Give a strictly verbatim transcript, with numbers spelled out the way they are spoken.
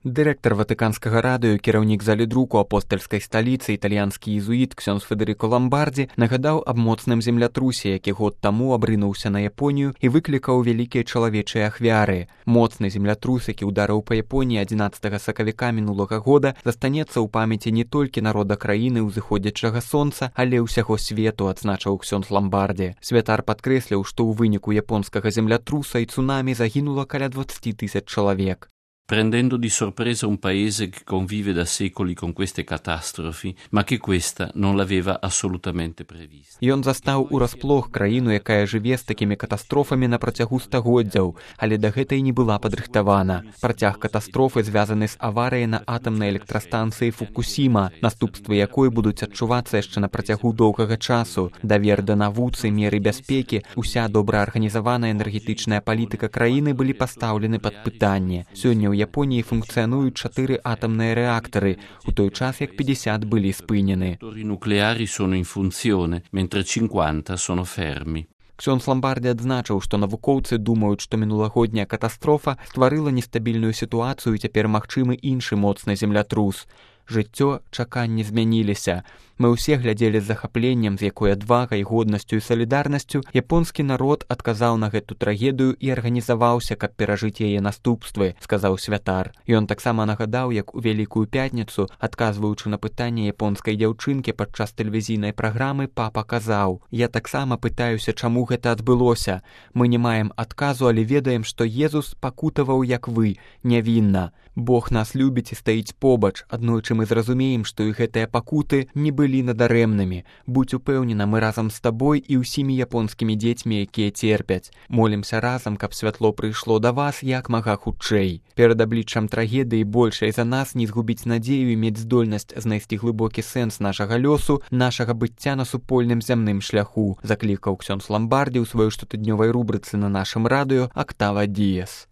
Дырэктар ватыканскага радыё, кіраўнік залі друку апостальскай сталіцы, італьянскі езуіт ксёндз Федэрыко Ламбардзі нагадаў аб моцным землятрусе, які год таму абрынуўся на Японію і выклікаў вялікія чалавечыя ахвяры. Моцны землятрус, які ўдарыў па Японіі адзінаццатага сакавіка мінулага года, застанецца ў памяці не толькі народа краіны ўзыходзячага сонца, але ўсяго свету, адзначыў ксёндз Ламбардзі. Святар падкрэсліў, што ў выніку японскага землятруса і цунамі загінула каля двадцать тысяч чалавек. Prendendo di sorpresa un paese che convive da secoli con queste catastrofi, ma che questa non l'aveva assolutamente prevista. Ён застаў урасплох краіну, якая жыве з такімі катастрофамі на працягу стагоддзяў, але да гэтай не была падрыхтавана. Працяг катастрофы звязаны з аварыяй на атамнай электрастанцыі Фукусіма, наступствы якой будуць адчувацца яшчэ на працягу доўгага часу. Давер да навуцы, меры бяспекі, уся добра арганізаваная энергетычная палітыка краіны былі пастаўлены пад пытанне. Сёння ў Японіі функцыянуюць чатыры атамныя рэактары, у той час як пятьдесят былі спынены. I nucleari sono in funzione, mentre cinquanta sono fermi. Ксёндз Ламбардзі адзначыў, што навукоўцы думаюць, што мінулагодняя катастрофа стварыла нестабільную сітуацыю і цяпер магчымы іншы моцны землятрус. Жыццё, чаканні змяніліся. Мы ўсе глядзелі з захапленнем, з якой адвагай, годнасцю і салідарнасцю японскі народ адказаў на гэту трагедыю і арганізаваўся, каб перажыць яе наступствы, сказаў святар. Ён таксама нагадаў, як у Вялікую пятніцу, адказваючы на пытанне японскай дзяўчынкі падчас тэлевізійнай праграмы, папа казаў: «Я таксама пытаюся, чаму гэта адбылося. Мы не маем адказу, але ведаем, што Езус пакутаваў, як вы, нявінна. Бог нас любіць і стаіць побач. Аднойчы мы зразумеем, што і гэтыя пакуты не былі надарэмнымі. Будзь упэўнена, мы разам з табой і ўсімі японскімі дзецьмі, якія церпяць. Молімся разам, каб святло прыйшло да вас як мага хутчэй. Перад абліччам трагедыі большай за нас не згубіць надзею і мець здольнасць знайсці глыбокі сэнс нашага лёсу, нашага быцця на супольным зямным шляху», заклікаў ксёндз Ламбардзі ў сваёй штотыднёвай рубрыцы на нашым радыё «Актава Діес».